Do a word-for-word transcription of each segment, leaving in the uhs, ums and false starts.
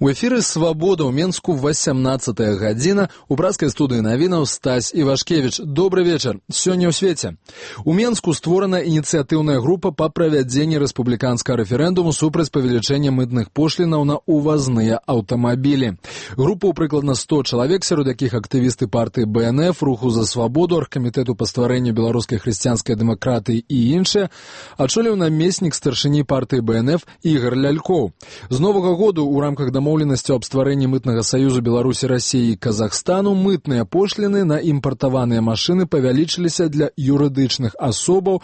У эфіры «Свабода» ў Менску васямнаццатая гадзіна. У пражскай студыі навінаў Стась Івашкевіч. Добры вечар. Сёння ў свеце. У Менску створана ініцыятыўная група па правядзенні рэспубліканскага рэферэндуму супраць павелічэння мытных пошлінаў на ўвазныя аўтамабілі. Група ў прыкладна сто чалавек, сярод якіх актывісты партыі бэ эн эф, Руху за свабоду, Аргкамітэту па стварэнню беларускай хрысціянскай дэмакратыі і іншыя, ачоліў намеснік старшыні партыі бэ эн эф Ігар Лялькоў. З новага году ў рамках дамоўленасці аб стварэнні мытнага саюзу Беларусі, Расіі і Казахстану мытныя пошліны на імпартаваныя машыны павялічыліся для юрыдычных асобаў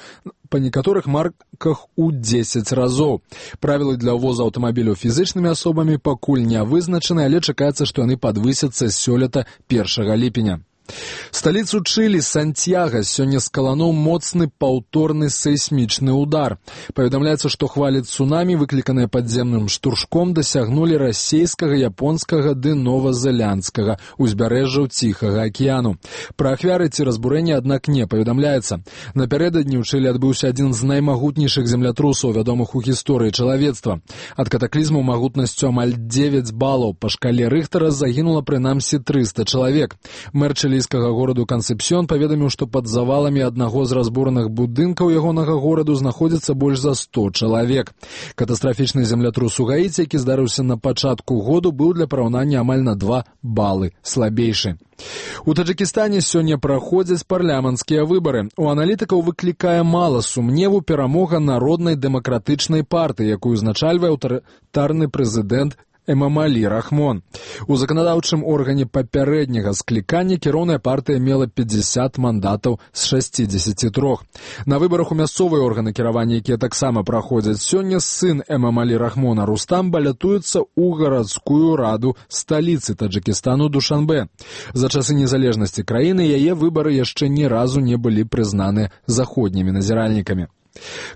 па некаторых марках у дзесяць разоў. Правілы для ўвозу аўтамабіляў фізычнымі асобамі пакуль не вызначаны, але чакаецца, што яны падвысяцца сёлета першага ліпеня. Сталіцу Чылі, Сантьяга, сёння скалануў моцны паўторны сейсмічны удар. Паведамляецца, што хвалі цунамі, выкліканыя падземным штуршком, дасягнулі расейскага, японскага ды новазеландскага узбярэжжаў Ціхага акіяну. Пра ахвяры ці разбурэнні, аднак, не паведамляецца. Напярэдадні ў Чылі адбыўся адзін з наймагутнейшых землятрусаў, вядомых у гісторыі чалавецтва. Ад катаклізму магутнасцю амаль дзевяць балаў па шкале Рыхтара загінула прынамсі трыста чалавек. Мэр чылійскага гораду Кансепсьён паведаміў, што пад заваламі аднаго з разбураных будынкаў ягонага гораду знаходзіцца больш за сто чалавек. Катастрафічны землятрус у Гаіці, які здарыўся на пачатку году, быў для параўнання амаль на два балы слабейшы. У Таджыкістане сёння праходзяць парламенцкія выбары. У аналітыкаў выклікае мала сумневу перамога народнай дэмакратычнай партыі, якую узначальвае аўтарытарны прэзідэнт Эмамалі Рахмон. У заканадаўчым органе папярэдняга склікання кіроўная партыя мела пятьдесят мандатаў з шасцідзесяці трох. На выбарах у мясцовыя органы кіравання, якія таксама праходзяць сёння, сын Эмамалі Рахмона Рустам балятуецца ў гарадскую раду сталіцы Таджыкістану Душанбе. За часы незалежнасці краіны яе выбары яшчэ ні разу не былі прызнаны заходнімі назіральнікамі.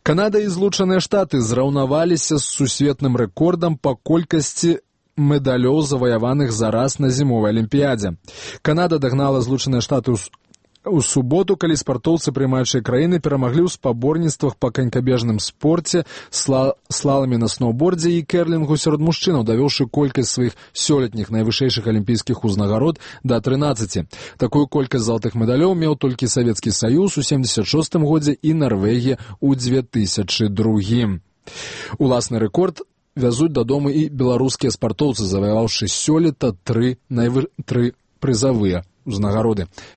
Канада і Злучаныя Штаты зраўнаваліся з сусветным рэкордам па колькасці медалёў, заваяваных за раз на зімовай алімпіядзе. Канада дагнала Злучаныя Штаты у суботу, калі спартоўцы прымаючай краіны перамаглі ў спаборніцтвах па канькабежным спорце, сла... слаламе на сноўбордзе і кэрлінгу сярод мужчынаў, давёўшы колькасць сваіх сёлетніх найвышэйшых алімпійскіх узнагарод да трынаццаці. Такую колькасць залатых медалёў меў толькі Савецкі Саюз у сямдзесят шостым годзе і Нарвегія ў две тысячы другім. Уласны рэкорд вязуць дадому і беларускія спартоўцы, заваяваўшы сёлета тры, найвы... тры прызавыя узнагароды.